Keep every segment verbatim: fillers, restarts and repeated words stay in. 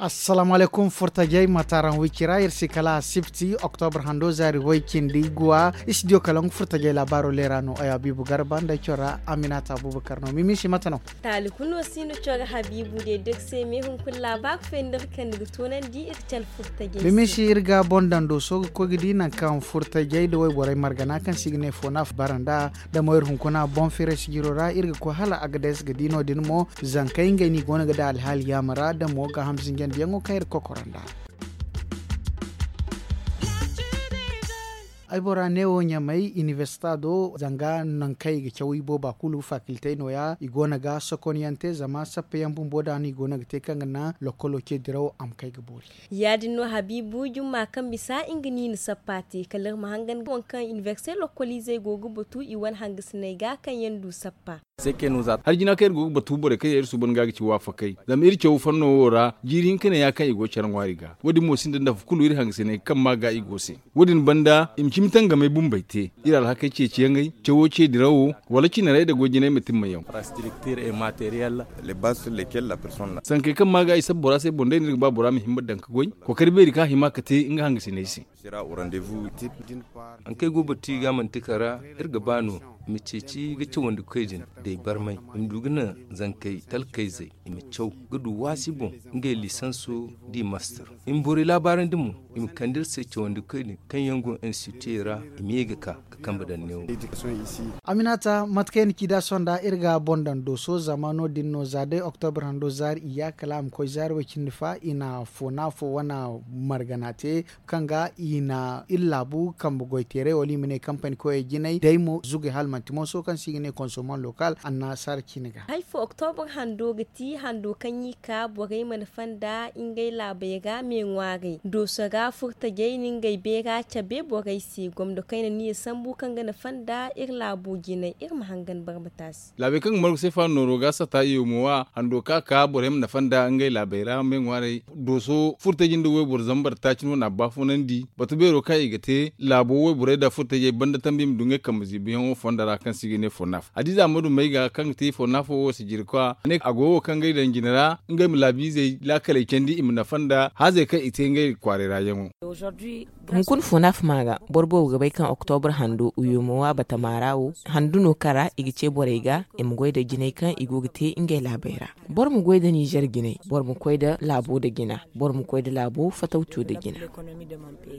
Assalaamu alaykum furtajey, mate araŋ? Wicira iri si kala asibti, oktobra hando zaari way cindi guwa. Istidiyo kalaŋ furtajey laabaaro leera no. Ay abiibu garba nda ay cora aminata abubakar no. Mimisi, mate no? Taali kulu no si no cora habiibu de dogse me hunkuna laabaaro fo nda iri kande ga toonandi iri cala furtajey se. Mimisi, iri ga boŋ daŋ dooso ga koy ga di nangu kaŋ furtajey nda wayborey margana kaŋ se i ga ne foonaaf bara nd'a. Da mo iri hunkuna boŋ firay sijiro ra iri ga koy hala agades ga di no- din mo. Zankey ngey no i go no ga daŋ alhaali yaama ra da mo gaaham zinjandiyaŋo kaŋ iri ga kokora nd'a. Ay bora neewo ɲamay inibersita do zanga nangu kaŋ i ga caw i booba kulu fakiltey nooya i go no ga sokonyaŋ te zama sappeyaŋ bumbo da no i go no ga te kaŋ ga naŋ lokkolo ce dirawo a ma kay ga boori. Ya- din no habiibu jumma kaŋ bisa nga no i na sappa te kala iri ma hangan waŋ kaŋ inibersite lokkoliizey go ga batu i wane hangasiney ga kaŋ yaŋ du sappa. Hari jina kaŋ iri go ga batu borey kaŋ yaŋ iri suuban ga ga ci waafakey zama iri caw fanno wo ra jiiri hinka ne ya kaŋ i go care ŋwaari ga. Wo- din mo sinda nafa kulu iri hangasiney kaŋ ma ga i go se. Wo- din banda i ma cimi tangamey bumbey te iri alhakey ceeciyaŋey cawo ce dirawo wala cinarey nda goy jinay ma timma yaŋ. Sankey kaŋ ma ga i sabu bora se boŋ day no iri ga ba bora ma himma daŋ ga goy kookari beeri kaŋ a hima ga te nga hangasiney se. Haŋ kaŋ ay go ga batu i ga manti kara iri ga ba no i ma ceeci ga cawandi koy din da i barmay i ma du ga naŋ zankey talkayzey i ma caw ga du waasi boŋ ngey liisanso da i master i ma borey laabaarandi mo i ma kande iri se cawandi koy din kaŋ yaŋ go institutey ra i ma ye ga ka ga kambe daŋ neewo. Aminata mate kaŋ ay na ci da sonda iri ga boŋ daŋ dooso zama no- din no za day oktobra hando zaari iyya kala a ma koy zaari way cindi fa i na foona fo wane margana te kaŋ ga i na iri laabu kambe goyteeray wala i ma ne kampani koyey jinay day mo zugay hala manti mooso kaŋ se i ga ne konsoman lokal annasaara ciine ga. Hari fo oktobra hando ga ti hando kaŋ i ka borey mana fanda ngey laabey ra me ŋwaaray dooso ra furtajey na ngey beera cabe borey se gomdo kayna no i sambu kaŋ ga na fanda iri laabo jinay iri ma hangan barmataasi. Laabey kaŋ ga margu se faano nooro ga sata i wo mo wa hando ka ka borey ma nafa nda ngey laabey ra me ŋwaaray dooso furtaji nda wayboro zambar taaci no na baafunandi batu beero kaŋ i ga te laabo wayborey nda furtajey banda tambi i ma du ngey kambe ziibiyaŋo fonda ra kaŋ se i ga ne fonnaf hadiza ma du may ga kaŋ ga te fonnafo wo sijirikwa a ne a go wo kaŋ ga ay daŋ jine ra ngey ma laabiizey laakaley candi i ma nafa nda haazey kaŋ i te ngey kwaaray ra yaŋo. Hunkuna fo no a fama ga boro boobo ga bay kaŋ oktobra hando uyoomo wa batama ra wo handu no kara i ga ce borey ga i ma goy nda jinay kaŋ i go ga te ngey laabey ra. Boro ma goy nda nizer jinay boro ma koy nda laabo nda jina boro ma koy nda laabo fatawco nda jina.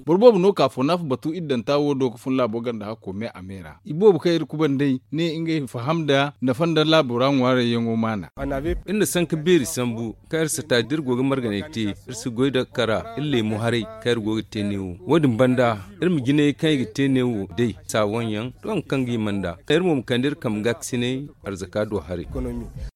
Boro boobo no ka fo no a fa batu iddanta wo do ga fun laabo ganda hakko me a me ra i boobo kaŋ iri kubandey ne ngey faham nda nafa nda laabo ra ŋwaarayyaŋo maana. Iri na sanka beeri sambu kaŋ iri sata da iri go ga marganay te iri si goy nda kara iri leemu haray kaŋ iri go ga te neewo wo- din banda iri ma jinay kaŋ i ga te neewo day saawanyaŋ doŋ kaŋ ga i manda iri mo ma kande iri kambe gaakasinay arzaka do haray.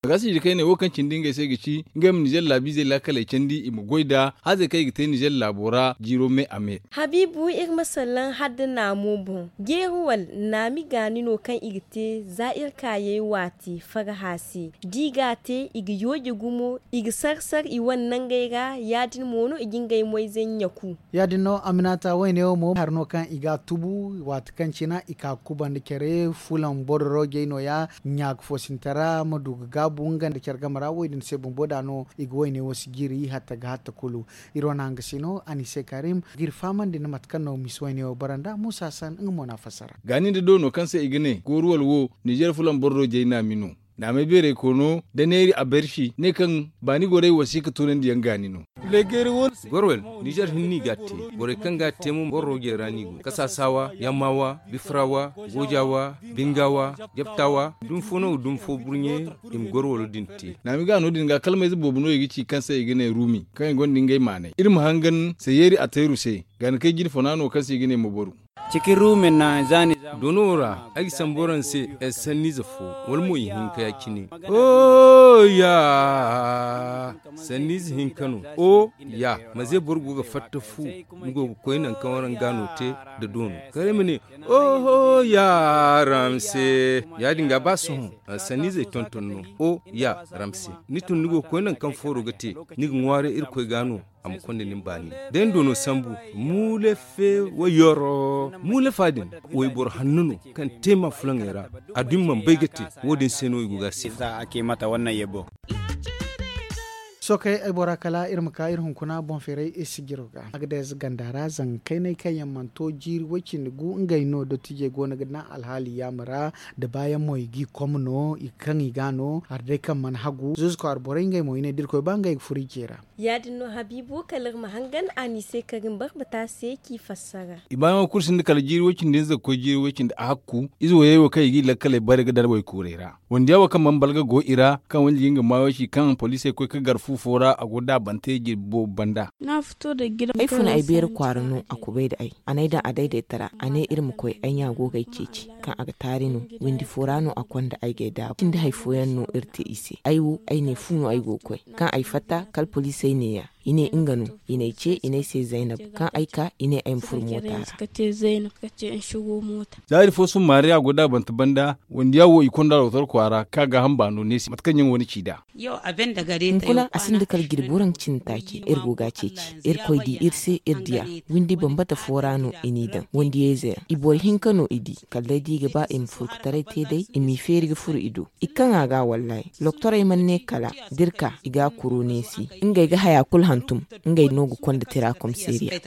Gaasiji kaŋ ay ne wo kaŋ cindi ngey se ga ci ngey ma nizer laabiizey laakaley candi i ma goy nda haazey kaŋ i ga te nizer laabo ra jiiro me a me. Habiibu iri ma salaŋ hala nda naamo boŋ jeeri wala naami gaani no kaŋ i ga te za iri kaayey waati faraha se da i ga a te i ga yooje gumo i ga sar sar i wane nangey ra ya- din mo no i ga ngey moyzey ɲaku. Ya- din no aminata wayne wo mo hari no kaŋ i ga a tubu waati kaŋ cina i ka ga kubandi care fulaŋ bororojey nooya ɲaaka fo sintin ra ma du ga gaabu nga nda care game ra wo- din se bumbo da no i ga wayne wo si jiiri hatta ga hatta kulu. Iri wane hanga si no anise karim ga iri fahamandi nda mate kaŋ no misi wayne wo bara nda muusa san nga mo no a fassara. Gaani nda doono kaŋ se i ga ne gooruwal wo nizer fulaŋ bororojey naami no. Naamay beeray koono da neeri a bersi ne kaŋ baani gorey wasiika tunandiyaŋ gaani no. Gorwel nizer hinne i ga a te. Borey kaŋ ga a te mo bororojey ra no i go kasaasawa yammawa bifrawa gojawa bingawa jabtawa dumi fo no ga dumi fo burɲe i ma gorwalo din te. Naami ga no- din ga kalmayze boobo no i ga ci kaŋ se i ga ne ruumi kaŋ i gonda ngey maanay iri ma hangan sayeeri atayru se. Gaani kay jine fona no kaŋ se i ga ne moboru. Cikin ruumin naŋ za ni za. Doono wo ra ay ga sambu araŋ se ay sanniize fo wala mo ihinka ya- cine. Oya sanniize hinka no. O ya maze boro go ga fatta fu ni go ga koy nangu kaŋ araŋ ga no te nda doono kala ay ma ne. Oho ya ramse ya- din ga ba sohõ sanniizey tonton no. O ya ramse ni tun ni go ga koy nangu kaŋ fooro ga te ni ga ŋwaaray irkoy ga no. A ma konda nin baani day ni do no sambu. Muule fe wayoro muule fa din wayboro hanno no kaŋ te ma fulaŋey ra. A dumi mana bay ga te wo- din se no i go ga a sifa. Za a ke mata wannan yabo. Sookey ay bora kala iri ma ka iri hunkuna boŋ feeray iri sijiro ga a ga day ize ganda ra zanga kaynay kaŋ yaŋ mana to jiiri way-cindi gu ngey no dottijey go no ga naŋ alhaali yaama ra. Da baayaŋ mo i g'i kom no i kaŋ i ga no hari day kaŋ mana hagu zuzu kwaara borey ngey mo i ne da iri koy ba ngey ga furo i ce ra. Ya- din no habiibu kala iri ma hangan a n'i se kaŋ ga ni barbata se k'i fassara. I baayaŋo kulu sinda kala jiiri way-cindi hinza ga koy jiiri way-cindi a hakku ize wayey wo kaŋ i g'i lakkaley bare ga daŋ waykuurey ra. Wande yaŋ wo kaŋ mana balga go i ra kaŋ wande ga nga maayo ci kaŋ poliisey koy ga gar fu fo ra a go daabante jirbi boobo banda. Ay funa ay beeri kwaara no a kubay nda ay a n'ay daŋ a daydayta ra a ne iri ma koy ay ɲa go ga ay ceeci. Kaŋ a ga taari no windi fo ra no a konda ay g'ay daabu cindi hari fooyaŋ no iri te i se ay wo ay ne fu no ay go ga koy. Kaŋ ay fatta kala poliisey neeya i ne nga no. I n'ay ce i n'ay se zaynab kaŋ ay ka i ne ay ma furo moota ra. Zaari fo summaari a go daabante banda wandi yaŋ wo i konda lotor kwaara kaŋ a gaaham baano neesi mate kaŋ yaŋ wane ci nd'a. Hunkuna a sinda kala jirbi waranka cindi taaci iri go ga a ceeci. Iri koy di iri se iri diya windi bambata fo ra no i n'i daŋ wandiyayze yaŋ i boro hinka no i di. Kala day da i ga ba i ma furkutaray te day i m'i feeri ga furu i do. I kaŋ a ga wallaahi loktorey mana ne kala da iri ka i ga a kuro neesi. Ngey ga haya kulu hantum. Ngey no ga konda tira komiseeriya.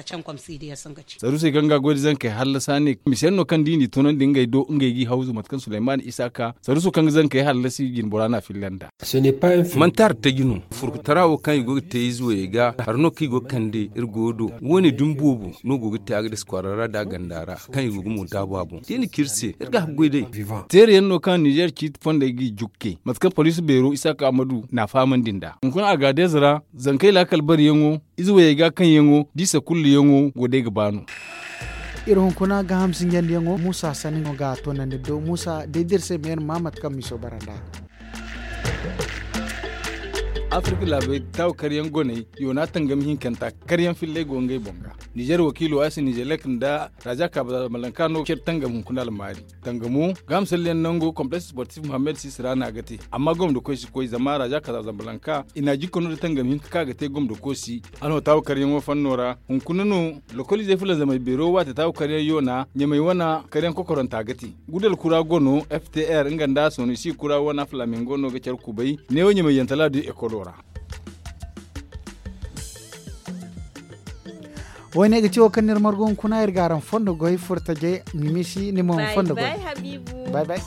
Saruusey kaŋ ga goy da zankey hallasa ne mise yaŋ no kaŋ da i n'i tunandi ngey do ngey g'i hawzu mate kaŋ suleyman isa ka saruuso kaŋ ga zankey hallasi jinbora no a filla nd'a. Manti hari taji no furkutara wo kaŋ i go ga te ize wayey ga hari no kaŋ i go ga kande iri goyo do. Wo- ne dumi boobo no go ga te a ga dasa kwaara ra nda a ganda ra kaŋ i go ga mo daabu a boŋ da i na ci iri se iri ga a ga goy day. Teere yaŋ no kaŋ ninzeer ciiti fondey g'i jukke mate kaŋ poliisi beero isaaka ammadu n'a fahamandi nd'a hunkuna a ga a deeza ra. Zankey laakal bariyaŋo ize wayey ga kaŋ yaŋo da i sakulluyaŋo go day ga ba no. Iri hunkuna gaaham sinjandiyaŋo muusa sanni no ga a toonandi do muusa day da iri se ma iri ma mate kaŋ miiso bara nd'a. Afirka laabey taawu karyaŋ goney yoona tangam hinkanta karyaŋ filley go ngey boŋ ga. Nizeer wakiilo asi nizeelek nda raza kaaba zambalanka no care tangam hunkuna almaari. Tangamo gaaham salliyaŋ nango kompleks sportif muhammed sisira no a ga te amma gomdo koy si koy zama raza kaaba zambalanka i n'a jikka no da tangam hinka kaŋ a ga te gomdo koy si. Alhotaawu karyaŋo fanno ra hunkuna no lokoliizey fulanzamey beero waate taawu karyaŋ yoona ɲamey wana karyaŋ kokoranta ga te. Gudal kura go no ftr nga nda sonisi kura wana flamingo no ga care kubay neewo ɲamey yantala du ekolo ra. Wo- ne ga ci wo kaŋ ni iri margu hunkuna iri ga araŋ fondo goy furtajey mimisi ni mo fondo goy. Bay bay.